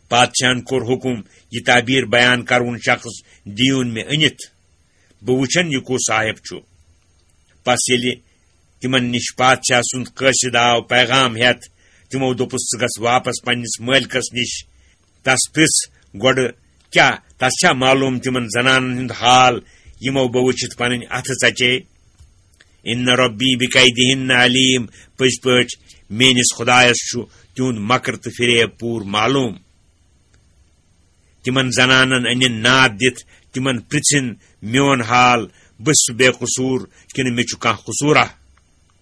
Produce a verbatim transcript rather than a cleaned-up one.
پادشاہن کوٚر حکم، یہِ تعبیر بیان کرون شخص دیون مےٚ أنِتھ، بہٕ وٕچھن یہِ کُس صاحب چھُ۔ پس ییٚلہِ تِمن نِش پادشاہ سُنٛد قٲصد آو پیغام ہٮ۪تھ، تِمو دوٚپُس، "ژٕ گژھ واپس پننِس مٲلکس نِش، تس پرژھ گۄڈٕ، کیٛاہ تس چھا معلوم تِمن زنانن ہُنٛد حال، یِمو بہٕ وٕچھِتھ پنٕنۍ اتھٕ ژچے؟ ان ربی بکیدہن علیم، پٔزۍ پٲٹھۍ میٲنِس خدایس چھُ تِہُنٛد مکر تہٕ فریب پوٗرٕ معلوم۔" تِمن زنانن أنِن ناد دِتھ، تِمن پرژھِن، "میون حال، بہٕ چھُس بے قصوٗر کِنہٕ مےٚ چھُ کانٛہہ قصوٗرا؟"